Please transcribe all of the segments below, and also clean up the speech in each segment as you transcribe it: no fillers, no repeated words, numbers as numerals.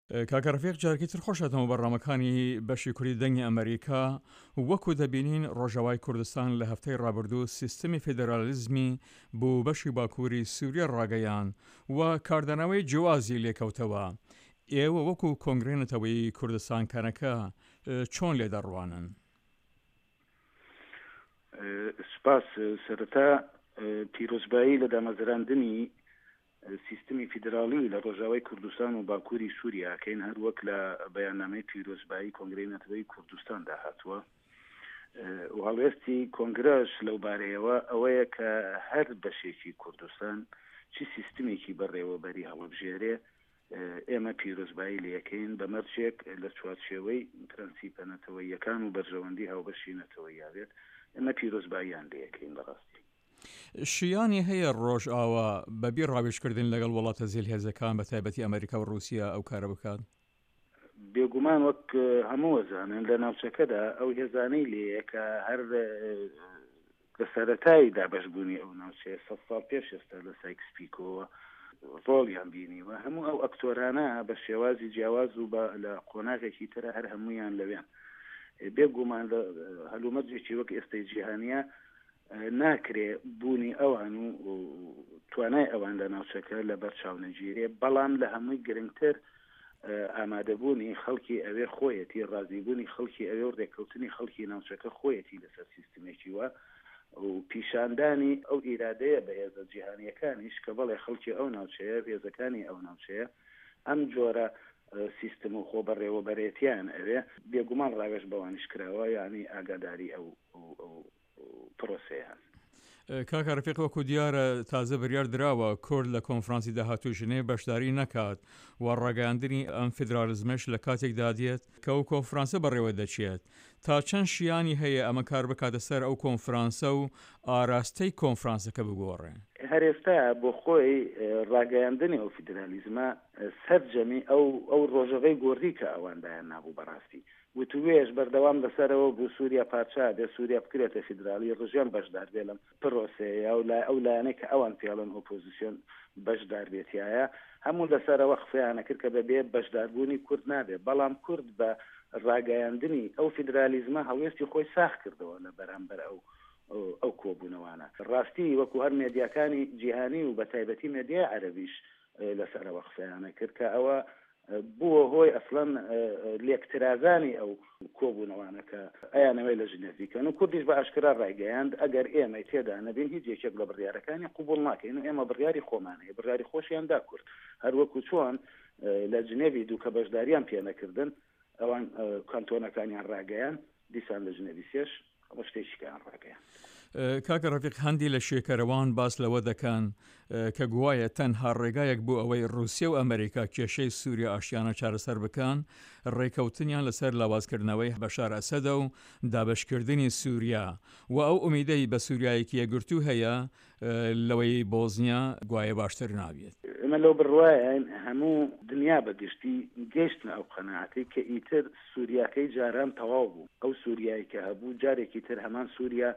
کاکە ڕەفیق جارێکی تر خۆش هاتنەوە بەرنامەکانی بەشی کوردی دەنگی ئەمەریکا. وەکو دەبینین ڕۆژاوای کوردستان لە هەفتەی ڕابردوو سیستمی فیدرالیزمی بۆ بەشی باکووری سووریا ڕاگەیاند و کاردانەوەی جیوازی لێکەوتەوە. ئێوە وەکو کۆنگرەی نەتەوەیی کوردستان کەنەکە چۆن لێ دەڕوانن؟ سوپاس. سەرەتا پیرۆزبایی لە دامەزراندنی سیستمی فیدراڵی لە ڕۆژاوای کوردستان و باکووری سووریا ئەکەین، هەر وەک لە بەیاننامەی پیرۆزبایی کۆنگرەی نەتەوەیی کوردستاندا هاتووە و هەڵوێستی کۆنگرەش لەو بارەیەوە ئەوەیە کە هەر بەشێکی کوردستان چی سیستمێکی بەڕێوەبەری هەڵبژێرێ ئێمە پیرۆزبایی لێکەین بە مەرجێک لە چوارچێوەی پرەنسیپە نەتەوەییەکان و بەرژەوەندی هاوبەشی نەتەوەییا بێت، ئێمە پیرۆزباییان لێکەین بەڕاستی. شیانی هەیە ڕۆژئاوا بە بی ڕاوێژکردن لەگەڵ وڵاتە زلهێزەکان بە تایبەتی ئەمریکا و ڕووسیا ئەو کارە بکات؟ بێگومان وەک هەموو ئەزانن لە ناوچەکەدا ئەو هێزانەی لێیە کە هەر لە سەرەتای دابەشبوونی ئەو ناوچەیە سەد ساڵ پێش ئێستا لە سایکس پیکۆوە ڕۆڵیان بینیوە، هەموو ئەو ئەکتۆرانە بە شێوازی جیاواز و بە لە قۆناغێکی ترە هەر هەموویان لەوێن. بێگومان لە هەلومەرجێکی وەک ئێستەی جیهانییە ناکرێ بوونی ئەوان و توانای ئەوان لە ناوچەکە لە بەر چاو نەگیرێ، بەڵام لە هەمووی گرنگتر ئامادەبوونی خەڵکی ئەوێ خۆیەتی، ڕازیبوونی خەڵکی ئەوێ و ڕێککەوتنی خەڵکی ناوچەکە خۆیەتی لەسەر سیستمێکی وا و پیشاندانی ئەو ئیرادەیە بە هێزە جیهانییەکانیش کە بەڵێ خەڵکی ئەو ناوچەیە، هێزەکانی ئەو ناوچەیە ئەم جۆرە سیستم و خۆبەڕێوەبەرێتییان ئەوێ، بێگومان ڕاوێژ بەوانیش کراوە، یانی ئاگاداری ئەو پرۆسەیەن. کاکە رفیق وەکو دیارە تازە بریار دراوە کورد لە کۆنفرانسی داهاتووی ژنێڤ بەشداری نەکات و ڕاگەیاندنی ئەم فیدرالیزمەش لە کاتێکدا دێت کە ئەو کۆنفرانسە بەڕێوە دەچێت. تا چەند شیانی هەیە ئەمە کار بکاتە سەر ئەو کۆنفرانسە و ئاراستەی کۆنفرانسەکە بگۆڕێ؟ هەر ئێستا بۆ خۆی ڕاگەیاندنی ئەو فیدرالیزمە سەرجەمی ئەو ئەو ڕۆژەڤەی گۆڕی کە ئەوان دایان نابوو بەڕاستی وتووێژ بەردەوام لەسەرەوە بوو سووریا پارچە بێ، سووریا بکرێتە فیدراڵی، ڕژێم بەشدار بێ لەم پرۆسەیە و لای ئەو لایەنەی کە ئەوان پێڵێن ئۆپۆزیسیۆن بەشدار بێ تیایا. هەموو لەسەرەوە قسەیان ئەکرد کە بە بێ بەشداربوونی کورد نابێ، بەڵام کورد بە ڕاگەیاندنی ئەو فیدرالیزمە هەڵوێستی خۆی ساغ کردەوە لە بەرامبەر ئەو ئەو کۆبوونەوانە. ڕاستی وەکوو هەر مێدیاکانی جیهانی و بەتایبەتی مێدیای عەرەبیش لەسەرەوە قسەیان ئەکرد کە ئەوە بووە هۆی ئەسڵەن لێکترازانی ئەو کۆبوونەوانە کە ئەیانەوێت لە ژنێڤ بیکەن و کوردیش بە ئاشکرا ڕایگەیاند ئەگەر ئێمەی تێدا نەبین هیچ یەکێک لە بڕیارەکانی قبوڵ ناکەین و ئێمە بڕیاری خۆمان هەیە بڕیاری خۆشیان دا کورد هەر وەکو چۆن لە جنێڤی دوو کە بەشداریان پێنەکردن ئەوان کانتۆنەکانیان ڕاگەیان دیسان لە ژنێڤی سێش ڕشتەی شکایان ڕاگەیاند. کاکە ڕەفیق هەندی لە شێکەرەوان باس لەوە دەکەن کە گوایە تەنها ڕێگایەک بۆ ئەوەی ڕووسیە و ئەمریکا کێشەی سووریا ئاشتیانە چارەسەر بکەن ڕێکەوتنیان لەسەر لاوازکردنەوەی بەشار ئەسەدە و دابەشکردنی سووریا و ئەو ئومیدەی بە سووریایەکی یەکگرتوو هەیە لەوەی بۆزنیا گوایە باشتر نابێت. ئێمە لەو بڕوایەین هەموو دنیا بە گشتی گەیشتنە ئەو قەناعەتەی کە ئیتر سوریاکەی جاران تەواو بوو، ئەو سوریای کە هەبوو جارێکی تر هەمان سوریا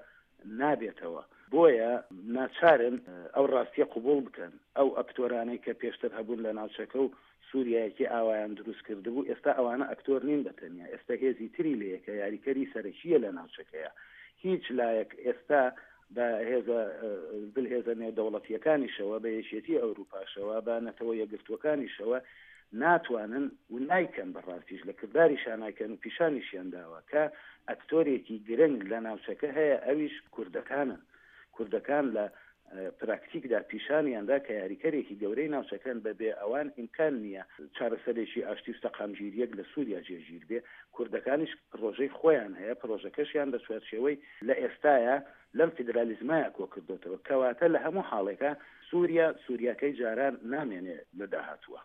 نابێتەوە، بۆیە ناچارن ئەو ڕاستیە قبوڵ بکەن، ئەو ئەکتۆرانەی کە پێشتر هەبوون لە ناوچەکە و سوریایەکی ئاوایان دروست کردبوو، ئێستا ئەوانە ئەکتۆر نین بە تەنیا، ئێستا هێزی تری لێیە کە یاریکەری سەرەکییە لە ناوچەکەیا، هیچ لایەک ئێستا بە هێزە زلهێزە نێودەوڵەتییەکانیشەوە، بە یەکێتیی ئەوروپاشەوە، بە نەتەوە یەکگرتووەکانیشەوە ناتوانن و نایکەن، بە ڕاستیش لە کرداریشا نایکەن و پیشانیشیان داوە کە ئەکتۆرێکی گرنگ لە ناوچەکە هەیە ئەویش کوردەکانن. کوردەکان لە پراکتیکدا پیشانیان دا کە یاریکەرێکی گەورەی ناوچەکەن، بە بێ ئەوان ئیمکان نییە چارەسەرێکی ئاشتی و سەقامگیرییەک لە سووریا جێگیر بێ. کوردەکانیش پڕۆژەی خۆیان هەیە، پڕۆژەکەشیان لە چوارچێوەی لە ئێستایا لەم فیدرالیزمایا کۆکردۆتەوە. کەواتە لە هەموو حاڵێکا سووریا سووریاکەی جاران نامێنێ لە داهاتووا.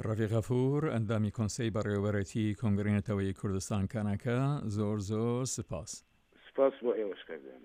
ڕەفیق غەفور، ئەندامی کۆنسەی بەڕێوەبەرێتی کۆنگرەی نەتەوەیی کوردستان، کەنەکە، زۆر زۆر سپاس. سپاس بۆ ئێوەش کاک گیان.